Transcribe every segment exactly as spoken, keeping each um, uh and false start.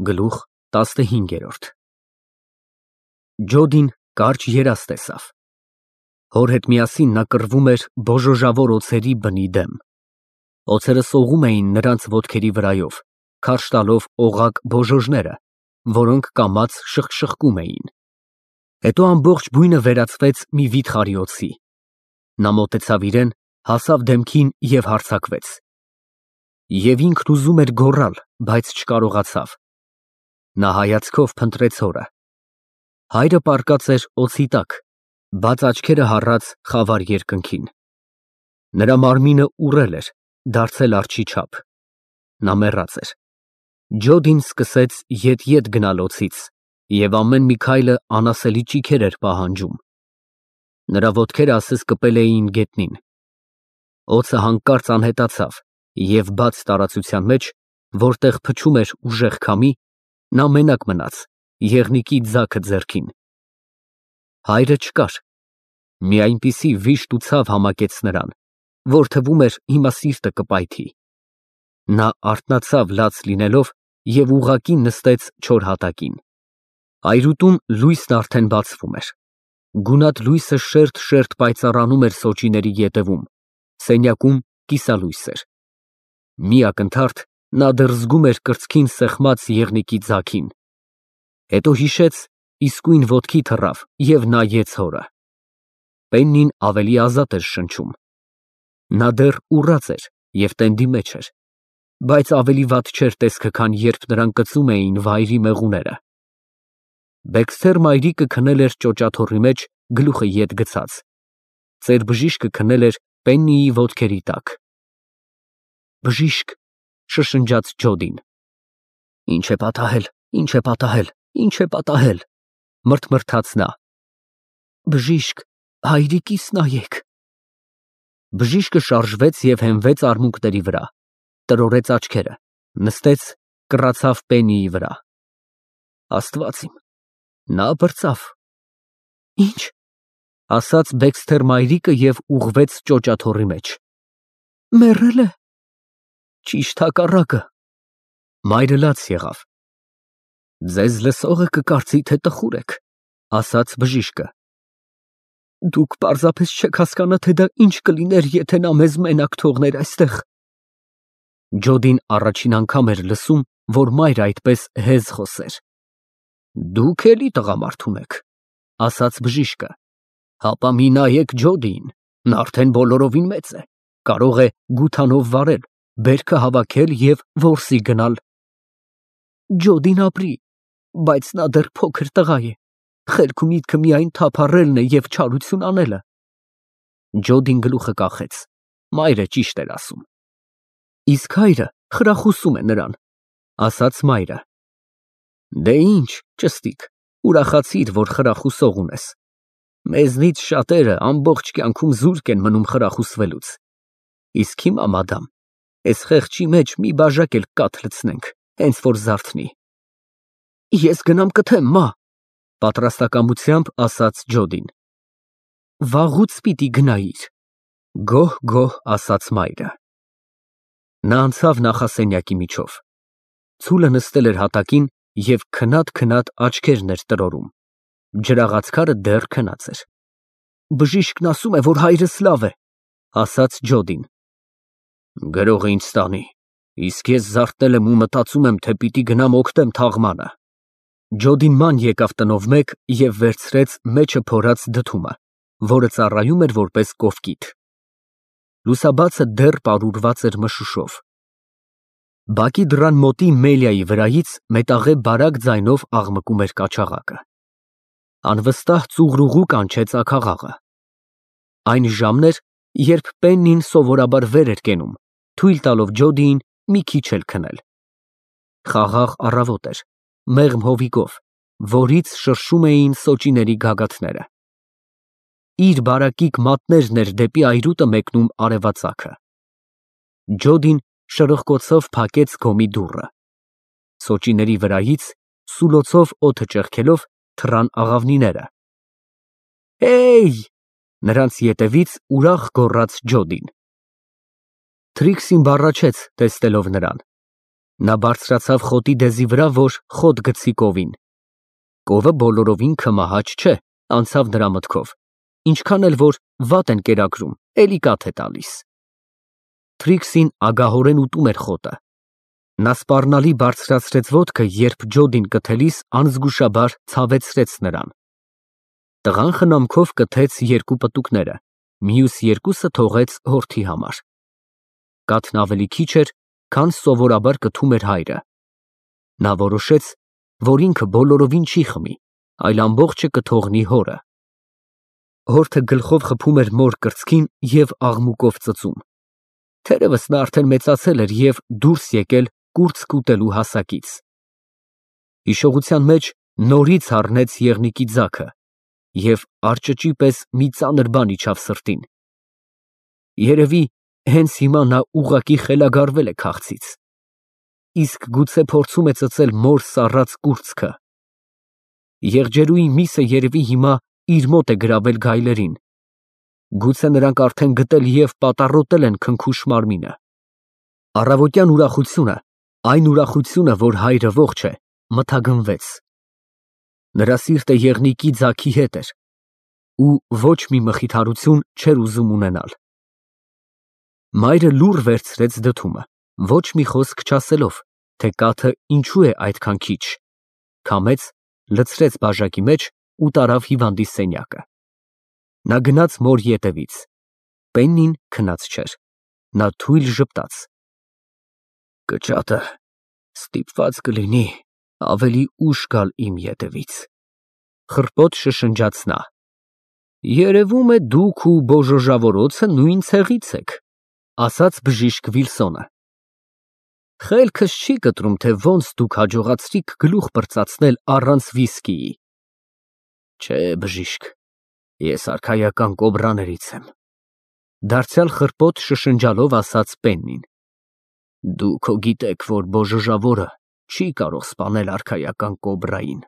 Գլուխ տասնհինգ։ Ջոդին կարճ երազ տեսավ։ Հոր հետ միասին նա կռվում էր բոժոժավոր օձերի բնի դեմ։ Օձերը սողում էին նրանց ոտքերի վրայով, քարշ տալով օղակ բոժոժները, որոնք կամաց շխկշխկում էին։ Հետո ամբողջ բույնը վերածվեց մի վիթխարի օձի։ Նա մոտեցավ իրեն, հասավ դեմքին և հարձակվեց։ Եվ ինքն ուզում էր գոռալ, բայց չկարողացավ։ Նա հայացքով փնտրեց հորը։ Հայրը պառկած էր օձի տակ, բաց աչքերը հառած խավար երկնքին։ Նրա մարմինը ուռել էր, դարձել արջի չափ։ Նա մեռած էր։ Ջոդին սկսեց ետ֊ետ գնալ օձից, և ամեն մի քայլը անասելի ճիգեր էր պահանջում։ Նրա ոտքերը ասես կպել էին գետնին։ Օձը հանկարծ անհետացավ, և բաց տարածության մեջ, որտեղ փչում էր ուժեղ քամի, նա մենակ մնաց, եղնիկի ձագը ձեռքին։ Հայրը չկար։ Մի այնպիսի վիշտ ու ցավ համակեց նրան, որ թվում էր հիմա սիրտը կպայթի։ Նա արթնացավ լաց լինելով և ուղղակի նստեց չոր հատակին։ Այրուտում լույսն արդեն բացվում էր։ Գունատ լույսը շերտ֊շերտ պայծառանում էր սոճիների ետևում, սենյակում կիսալույս էր։ Մի ակնթարթ նա դեռ զգում էր կրծքին սեղմած եղնիկի ձագին։ Հետո հիշեց, իսկույն ոտքի թռավ և նայեց հորը։ Պեննին ավելի ազատ էր շնչում։ Նա դեռ ուռած էր և տենդի մեջ էր, բայց ավելի վատ չէր տեսքը, քան երբ նրան կծում էին վայրի մեղուները։ Բեքսթեր մայրիկը քնել էր ճոճաթոռի մեջ, գլուխը ետ գցած։ Ծեր բժիշկը քնել էր Պեննիի ոտքերի տակ։ Բժիշկ, շշնջաց Ջոդին։ Ինչ է պատահել, ինչ է պատահել, ինչ է պատահել, մռթմռթաց նա։ Բժիշկ, հայրիկիս նայեք։ Բժիշկը շարժվեց և հենվեց արմունկների վրա, տրորեց աչքերը, նստեց, կռացավ Պեննիի վրա։ Աստված իմ, նա պրծավ։ Ինչ, ասաց Բեքսթեր մայրիկը և ուղղվեց ճոճաթոռի մեջ։ Մեռել է։ Ճիշտ հակառակը։ Մայրը լաց եղավ։ Ձեզ լսողը կկարծի, թե տխուր եք, ասաց բժիշկը։ Դուք պարզապես չեք հասկանա, թե դա ինչ կլիներ, եթե նա մեզ մենակ թողներ այստեղ։ Ջոդին առաջին անգամ էր լսում, որ մայրը այդպես հեզ խոսեր։ Դուք էլի տղամարդու եք, ասաց բժիշկը։ Հապա մի նայեք Ջոդիին, նա արդեն բոլորովին մեծ է, կարող է գութանով վարել, բերքը հավաքել և որսի գնալ։ Ջոդին ապրի, բայց նա դեռ փոքր տղա է, խելք ու միտքը միայն թափառելն է և չարություն անելը։ Ջոդին գլուխը կախեց, մայրը ճիշտ էր ասում։ Իսկ հայրը խրախուսում է նրան, ասաց մայրը։ Դե ինչ, ճստիկ, ուրախացիր, որ խրախուսող ունես։ Մեզնից շատերը ամբողջ կյանքում զուրկ են մնում խրախուսվելուց։ Իսկ հիմա, մադամ, էս խեղճի մեջ մի բաժակ էլ կաթ լցնենք, հենց որ զարթնի։ Ես գնամ կթեմ, մա, պատրաստակամությամբ ասաց Ջոդին։ Վաղուց պիտի գնայիր, գոհ֊գոհ ասաց մայրը։ Նա անցավ նախասենյակի միջով։ Ցուլը նստել էր հատակին և քնած֊քնած աչքերն էր տրորում։ Ջրաղացքարը դեռ քնած էր։ Բժիշկն ասում է, որ հայրս լավ է, ասաց Ջոդին։ Գրողը ինձ տանի, իսկ ես զարթնել եմ ու մտածում եմ, թե պիտի գնամ օգտեմ թաղմանը։ Ջոդին ման եկավ տնով մեկ և վերցրեց մեջը փորած դդումը, որը ծառայում էր որպես կովկիթ։ Լուսաբացը դեռ պարուրված էր մշուշով։ Բակի դռան մոտի Մելիայի վրայից մետաղե բարակ ձայնով աղմկում էր կաչաղակը։ Անվստահ ծուղրուղու կանչեց աքաղաղը։ Այն ժամն էր, երբ Պեննին սովորաբար վեր էր կենում, թույլ տալով Ջոդիին մի քիչ էլ քնել։ Խաղաղ առավոտ էր, մեղմ հովիկով, որից շրշում էին սոճիների գագաթները։ Իր բարակիկ մատներն էր դեպի այրուտը մեկնում արևածագը։ Ջոդին շրխկոցով փակեց գոմի դուռը։ Սոճիների վրայից, սուլոցով օդը ճեղքելով, թռան աղավնիները։ Հեյ, նրանց ետևից ուրախ գոռաց Ջոդին։ Թրիքսին բառաչեց, տեսնելով նրան։ Նա բարձրացավ խոտի դեզի վրա, որ խոտ գցի կովին։ Կովը բոլորովին քմահաճ չէ, անցավ նրա մտքով, ինչքան էլ որ վատ են կերակրում, էլի կաթ է տալիս։ Թրիքսին ագահորեն ուտում էր խոտը։ Նա սպառնալի բարձրացրեց ոտքը, երբ ջոդին կթելիս անզգուշաբար ցավեցրեց նրան։ Տղան խնամքով կթեց երկու պտուկները, մյուս երկուսը թողեց հորթի համար։ Կաթն ավելի քիչ էր, քան սովորաբար կթում էր հայրը։ Նա որոշեց, որ ինքը բոլորովին չի խմի, այլ ամբողջը կթողնի հորը։ Հորթը գլխով խփում էր մոր կրծքին և աղմուկով ծծում։ Թերևս նա արդեն մեծացել էր և դուրս եկել կուրծք ուտելու հասակից։ Հիշողության մեջ նորից առնեց եղնիկի ձագը և արճճի պես մի ծանր բան իջավ սրտին։ Երևի հենց հիմա նա ուղղակի խելագարվել է քաղցից։ Իսկ գուցե փորձում է ծծել մոր սառած կուրծքը։ Եղջերուի միսը երևի հիմա իր մոտ է գրավել գայլերին։ Գուցե նրանք արդեն գտել և պատառոտել են քնքուշ մարմինը։ Առավոտյան ուրախությունը, այն ուրախությունը, որ հայրը ողջ է, մթագնվեց։ Նրա սիրտը եղնիկի ձագի հետ էր ու ոչ մի մխիթարություն չէր ուզում ունենալ։ Մայրը լուռ վերցրեց դդումը, ոչ մի խոսք չասելով, թե կաթը ինչու է այդքան քիչ, քամեց, լցրեց բաժակի մեջ ու տարավ հիվանդի սենյակը։ Նա գնաց մոր ետևից։ Պեննին քնած չէր։ Նա թույլ ժպտաց։ Կճատը ստիպված կլինի ավելի ուշ գալ իմ ետևից, խռպոտ շշնջաց նա։ Երևում է դուք ու բոժոժավորոցը նույն ցեղից եք, ասաց բժիշկ Վիլսոնը։ Խելքս չի կտրում, թե ոնց դուք հաջողացրիք գլուխ պրծացնել առանց վիսկիի։ Չէ, բժիշկ, ես արքայական կոբրաներից եմ, դարձյալ խռպոտ շշնջալով ասաց Պեննին։ Դուք հո գիտեք, որ բոժոժավորը չի կարող սպանել արքայական կոբրային։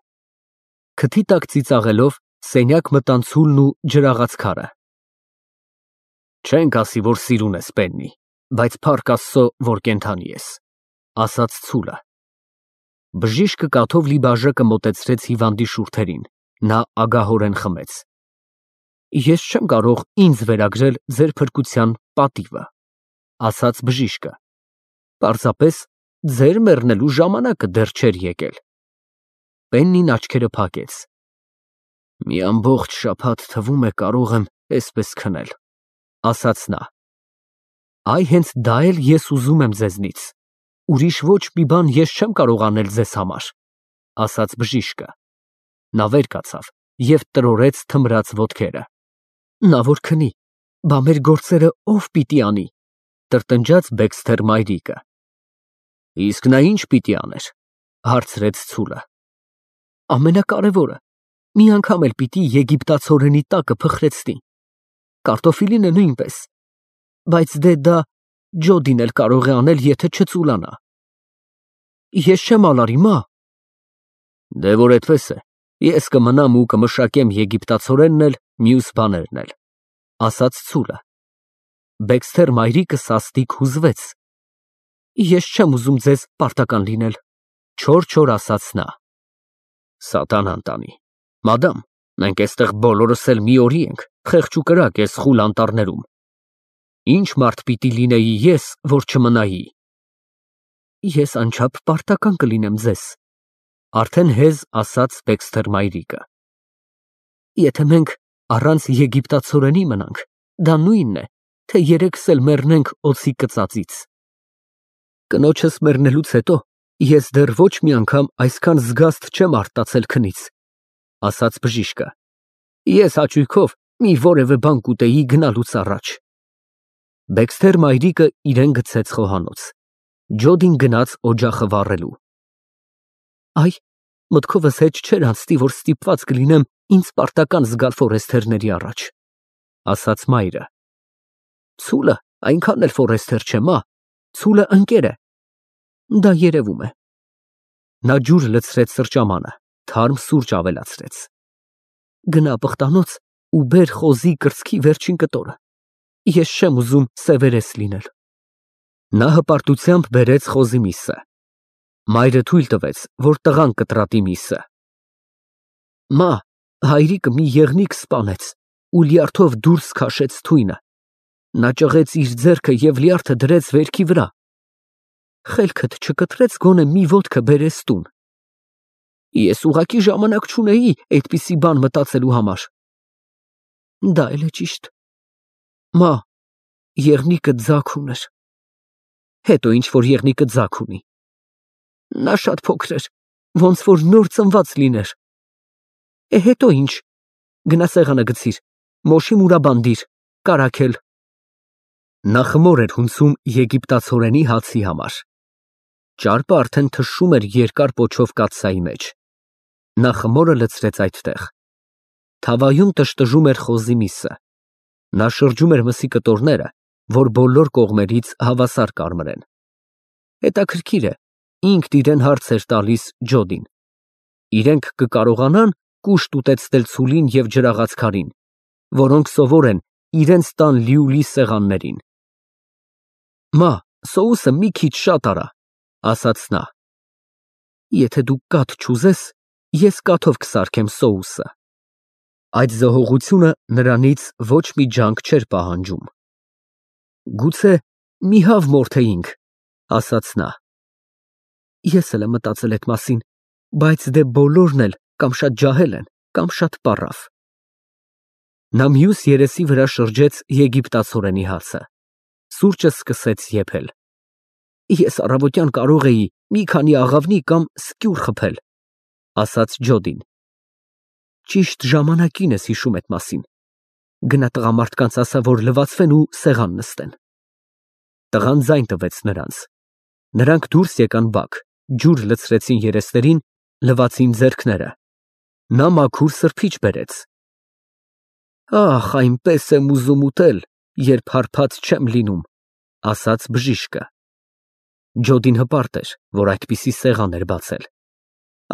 Քթի տակ ծիծաղելով սենյակ մտան Ցուլն ու ջրաղաց քարը։ Չենք ասի, որ սիրուն ես, Պեննի, բայց փառք Աստծո, որ կենդանի ես, ասաց Ցուլը։ Բժիշկը կաթով լի բաժակը մոտեցրեց հիվանդի շուրթերին, նա ագահորեն խմեց։ Ես չեմ կարող ինձ վերագրել ձեր փրկության պատիվը, ասաց բժիշկը։ Պարզապես ձեր մեռնելու ժամանակը դեռ չէր եկել։ Պեննին աչքերը փակեց։ Մի ամբողջ շաբաթ թվում է կարող եմ էսպես քնել, ասաց նա։ Այ հենց դա էլ ես ուզում եմ ձեզնից, ուրիշ ոչ մի բան ես չեմ կարող անել ձեզ համար, ասաց բժիշկը։ Նա վեր կացավ և տրորեց թմրած ոտքերը։ Նա որ քնի, բա մեր գործերը ով պիտի անի, տրտնջաց Բեքսթեր մայրիկը։ Իսկ նա ինչ պիտի աներ, հարցրեց Ցուլը։ Ամենակարևորը, մի անգամ էլ պիտի եգիպտացորենի տակը փխրեցնի, կարտոֆիլինը նույնպես, բայց դե դա ջոդին էլ կարող է անել, եթե չծուլանա։ Ես չեմ ալարի, մա։ Դե որ այդպես է, ես կմնամ ու կմշակեմ եգիպտացորենն էլ, մյուս բաներն էլ, ասաց Ցուլը։ Բեքսթեր մայրիկը սաստիկ հուզվեց։ Ես չեմ ուզում ձեզ պարտական լինել, չոր-չոր ասաց նա։ Սատանան տանի։ Մադամ, մենք այստեղ բոլորս էլ մի օրի ենք, խեղճ ու կրակ ես խուլ անտառներում։ Ինչ մարդ պիտի լինեի ես, որ չմնայի։ Ես անչափ պարտական կլինեմ ձեզ, արդեն հեզ ասաց Բեքսթեր մայրիկը։ Եթե մենք առանց եգիպտացորենի մնանք, դա նույնն է, թե երեքս էլ մեռնենք օձի կծածից։ Կնոջս մեռնելուց հետո ես դեռ ոչ մի անգամ այսքան զգաստ չեմ արտացել քնից, ասաց բժիշկը։ Ես հաճույքով մի որևէ բան կուտեի գնալուց առաջ։ Բեքսթեր մայրիկը իրեն գցեց խոհանոց։ Ջոդին գնաց օջախը վառելու։ Այ, մտքովս հետ չէր անցնի, որ ստիպված կլինեմ ինձ պարտական զգալ ֆորեստերների առաջ, ասաց մայրը։ Ցուլը այնքան էլ ֆորեստեր չէ, մա, Ցուլը ընկեր է։ Դա երևում է։ Նա ջուր լցրեց սրճամանը, թարմ սուրճ ավելացրեց։ Գնա պղտանոց ու բեր խոզի կրծքի վերջին կտորը։ Ես չեմ ուզում սևերես լինել։ Նա հպարտությամբ բերեց խոզի միսը, Մայրը թույլ տվեց, որ տղան կտրատի միսը։ Մա, հայրիկը մի եղնիկ սպանեց ու լյարդով դուրս քաշեց թույնը։ Նա ճղեց իր ձեռքը և լյարդը դրեց վերքի վրա։ Խելքդ չկտրեց գոնե մի ոտքը բերես տուն։ Ես ուղղակի ժամանակ չունեի այդպիսի բան մտածելու համար։ Դա էլ է ճիշտ։ Մա, եղնիկը ձագ ուներ։ Հետո ինչ որ եղնիկը ձագ ունի։ Նա շատ փոքր էր, ոնց որ նոր ծնված լիներ։ Է հետո ինչ։ Գնա սեղանը գցիր, մոշի մուրաբան դիր, կարագել։ Նա խմոր էր հունցում եգիպտացորենի հացի համար։ Ճարպը արդեն թշում էր երկար պոչով կաթսայի մեջ։ Նա խմորը լցրեց այդտեղ։ Թավայում տժտժում էր խոզի միսը։ Նա շրջում էր մսի կտորները, որ բոլոր կողմերից հավասար կարմրեն։ Հետաքրքիր է, ինքն իրեն հարց էր տալիս Ջոդին։ Իրենք կկարողանան կուշտ ուտեցնել ցուլին և ջրաղացքարին, որոնք սովոր են իրենց տան լիուլի սեղաններին։ Մա, սոուսը մի քիչ շատ արա, ասաց նա։ Եթե դու կաթ չուզես, ես կաթով կսարքեմ սոուսը։ Այդ զհողությունը նրանից ոչ մի ջանք չէր պահանջում։ Գուցե մի հավ մորթեինք, ասաց նա։ Ես էլ եմ մտածել այդ մասին, բայց դե բոլորն էլ կամ շատ ջահել են, կամ շատ պառավ։ Նա մյուս երեսի վրա շրջեց եգիպտացորենի հացը։ Սուրճը սկսեց եփել։ Ես առավոտյան կարող էի մի քանի աղավնի կամ սկյուռ խփել, ասաց Ջոդին։ Ճիշտ ժամանակին ես հիշում այդ մասին։ Գնա տղամարդկանց ասա, որ լվացվեն ու սեղան նստեն։ Տղան ձայն տվեց նրանց։ Նրանք դուրս եկան բակ, ջուր լցրեցին երեսներին, լվացին ձեռքները։ Նա մաքուր սրբիչ բերեց։ Ախ, այնպես եմ ուզում ուտել, երբ հարբած չեմ լինում, ասաց բժիշկը։ Ջոդին հպարտ էր, որ այդպիսի սեղան էր բացել։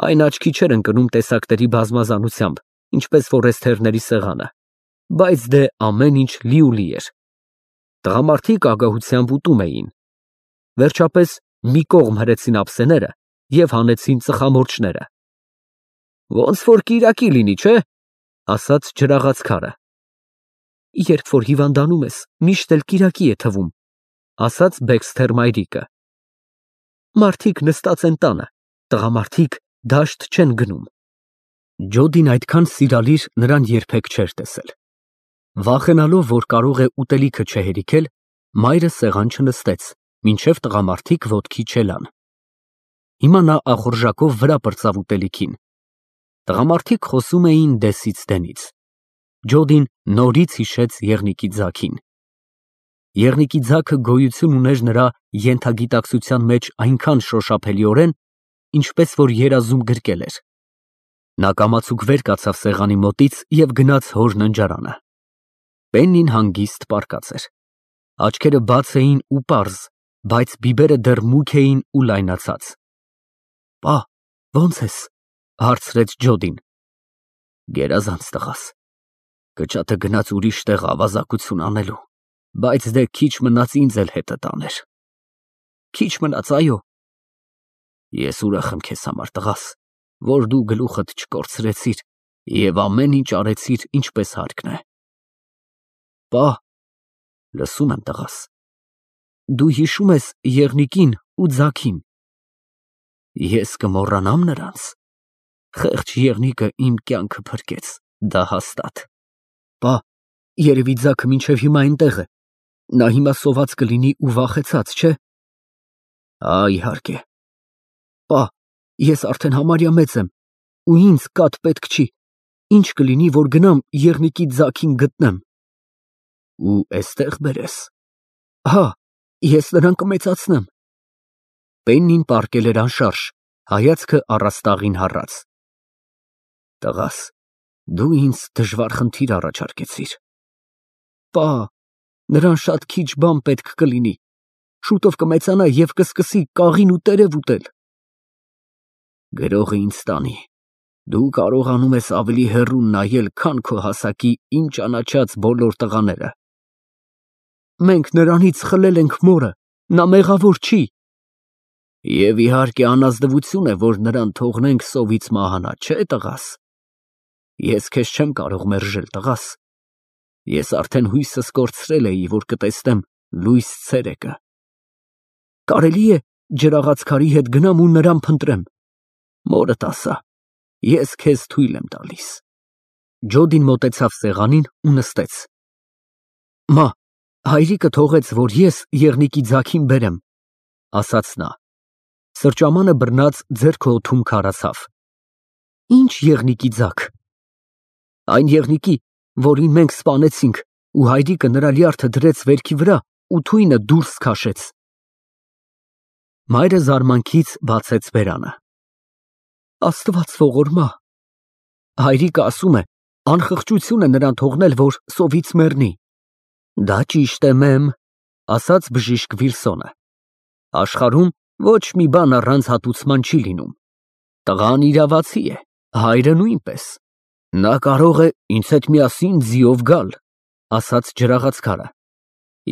Այն աչքի չէր ընկնում տեսակների բազմազանությամբ, ինչպես ֆորեստերների սեղանը, բայց դե ամեն ինչ լիուլի էր։ Տղամարդիկ ագահությամբ ուտում էին։ Վերջապես մի կողմ հրեցին ափսեները և հանեցին ծխամորճները։ Ոնց որ կիրակի լինի, չէ՞, ասաց ջրաղացքարը։ Երբ որ հիվանդանում ես, միշտ էլ կիրակի է թվում, ասաց Բեքսթեր մայրիկը։ Մարդիկ նստած են տանը, տղամարդիկ դաշտ չեն գնում։ Ջոդին այդքան սիրալիր նրան երբեք չէր տեսել։ Վախենալով, որ կարող է ուտելիքը չհերիքել, մայրը սեղան չնստեց, մինչև տղամարդիկ ոտքի չելան։ Հիմա նա ախորժակով վրա պրծավ ուտելիքին։ Տղամարդիկ խոսում էին դեսից դենից։ Ջոդին նորից հիշեց եղնիկի ձագին։ Եղնիկի ձագը գոյություն ուներ նրա ենթագիտակցության մեջ այնքան շոշափելիորեն, ինչպես որ երազում գրկել էր։ Նա կամացուկ վեր կացավ սեղանի մոտից և գնաց հոր ննջարանը։ Պեննին հանգիստ պառկած էր։ Աչքերը բաց էին ու պարզ, բայց բիբերը դեռ մուգ էին ու լայնացած։ Պա, ո՞նց ես, հարցրեց Ջոդին։ Գերազանց տղաս։ Կճատը գնաց ուրիշ տեղ ավազակություն անելու, բայց դե քիչ մնաց ինձ էլ հետը տաներ։ Քիչ մնաց, այո։ Ես ուրախ եմ քեզ համար, տղաս, որ դու գլուխդ չկորցրեցիր և ամեն ինչ արեցիր ինչպես հարկն է։ Պա, լսում եմ, տղաս։ Դու հիշում ես եղնիկին ու ձագին։ Ես կմոռանամ նրանց։ Խեղճ եղնիկը իմ կյանքը փրկեց, դա հաստատ։ Պա, երևի ձագը մինչև հիմա այնտեղ է։ Նա հիմա սոված կլինի ու վախեցած, չէ՞։ Ա, իհարկե։ Պա, ես արդեն համարյա մեծ եմ, ու ինձ կաթ պետք չի։ Ինչ կլինի, որ գնամ եղնիկի ձագին գտնեմ։ Ու էստեղ բերես։ Հա, ես նրան կմեծացնեմ։ Պեննին պառկել էր անշարժ, հայացքը առաստաղին հառած։ Տղաս, դու ինձ դժվար խնդիր առաջարկեցիր։ Պա, նրան շատ քիչ բան պետք կլինի։ Շուտով կմեծանա և կսկսի կաղին ու տերև ուտել։ Գրողը ինձ տանի։ Դու կարողանում ես ավելի հեռու նայել, քան քո հասակի իմ ճանաչած բոլոր տղաները։ Մենք նրանից խլել ենք մորը, նա մեղավոր չի։ Եվ իհարկե անազնվություն է, որ նրան թողնենք սովից մահանա, չէ՞ տղաս։ Ես քեզ չեմ կարող մերժել, տղաս։ Ես արդեն հույսս կորցրել էի, որ կտեսնեմ լույս ցերեկը։ Կարելի է ջրաղաց քարի հետ գնամ ու նրան փնտրեմ։ Մորդ ասա, ես քեզ թույլ եմ տալիս։ Ջոդին մոտեցավ սեղանին ու նստեց։ Մա, հայրիկը թողեց, որ ես եղնիկի ձագին բերեմ, ասաց նա։ Սրճամանը բռնած ձեռքը օդում քարացավ։ Ինչ եղնիկի ձագ։ Այն եղնիկի, որին մենք սպանեցինք, ու հայրիկը նրա լյարդը դրեց վերքի վրա ու թույնը դուրս քաշեց։ Մայրը զարմանքից բացեց բերանը։ Աստված ողորմա։ Հայրիկը ասում է, անխղճություն է նրան թողնել, որ սովից մեռնի։ Դա ճիշտ է, մեմ, ասաց բժիշկ Վիլսոնը։ Աշխարհում ոչ մի բան առանց հատուցման չի լինում։ Տղան իրավացի է, հայրը նույնպես։ Նա կարող է ինձ հետ միասին ձիով գալ, ասաց ջրաղացքարը։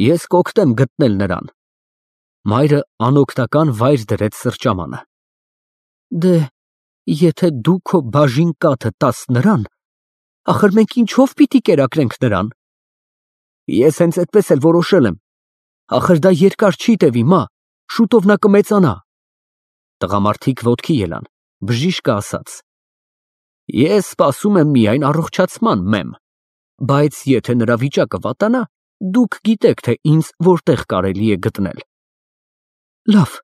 Ես կօգնեմ գտնել նրան։ Մայրը անօգնական վայր դրեց սրճամանը։ Դե, եթե դու քո բաժին կաթը տաս նրան, ախր մենք ինչով պիտի կերակրենք նրան։ Ես հենց այդպես էլ որոշել եմ։ Ախր դա երկար չի տևի, մա, շուտով նա կմեծանա։ Տղամարդիկ ոտքի ելան, բժիշկը ասաց. Ես սպասում եմ միայն առողջացման, մեմ, բայց եթե նրա վիճակը վատանա, դուք գիտեք, թե ինձ որտեղ կարելի է գտնել։ Լավ,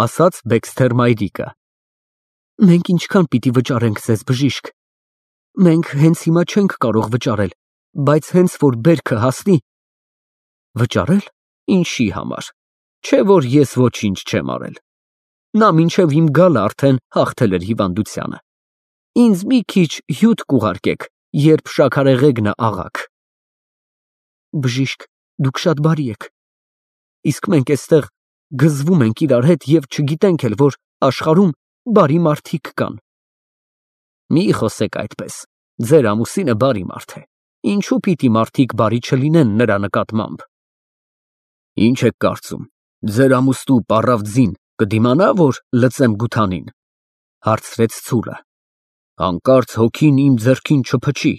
ասաց Բեքսթեր մայրիկը։ Մենք ինչքան պիտի վճարենք ձեզ, բժիշկ։ Մենք հենց հիմա չենք կարող վճարել, բայց հենց որ բերքը հասնի։ Վճարել։ Ինչի համար։ Չէ որ ես ոչինչ չեմ արել։ Նա մինչև իմ գալը արդեն հաղթել էր հիվանդությանը։ Ինձ մի քիչ հյութ կուղարկեք, երբ շաքարեղեգնը աղաք։ Բժիշկ, դուք շատ բարի եք։ Իսկ մենք էստեղ գզվում ենք իրար հետ և չգիտենք էլ, որ աշխարհում բարի մարդիկ կան։ Մի խոսեք այդպես, ձեր ամուսինը բարի մարդ է։ Ինչու պիտի մարդիկ բարի չլինեն նրա նկատմամբ։ Ինչ եք կարծում, ձեր ամուսնու պառավ ձին կդիմանա, որ լծեմ գութանին, հարցրեց ցուրը։ Հանկարծ հոգին իմ ձեռքին չփչի։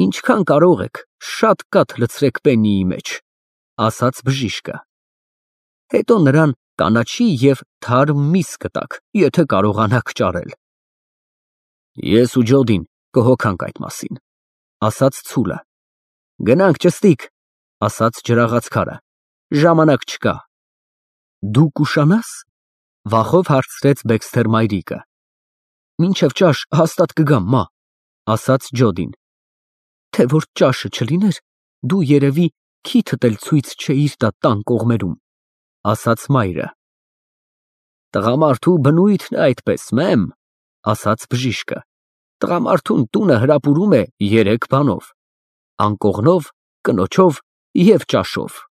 Ինչքան կարող եք, շատ կաթ լցրեք պենիի մեջ, ասաց բժիշկը։ Հետո նրան կանաչի և թարմ միս կտաք, եթե կարողանաք ճարել։ Ես ու Ջոդին կհոգանք այդ մասին, ասաց ցուլը։ Գնանք ճստիկ, ասաց ջրաղացքարը։ Ժամանակ չկա։ Դու կուշանա՞ս, վախով հարցրեց Բեքսթեր մայրիկը։ Մինչև ճաշ հաստատ կգամ, մա, ասաց Ջոդին։ Թե որ ճաշը չլիներ, դու երևի քիթդ էլ ցույց չէիր տա տան կողմերում, ասաց մայրը։ Տղամարդու բնույթն է այդպես, մեմ, ասաց բժիշկը։ Տղամարդուն տունը հրապուրում է երեք բանով. անկողնով, կնոջով և ճաշով։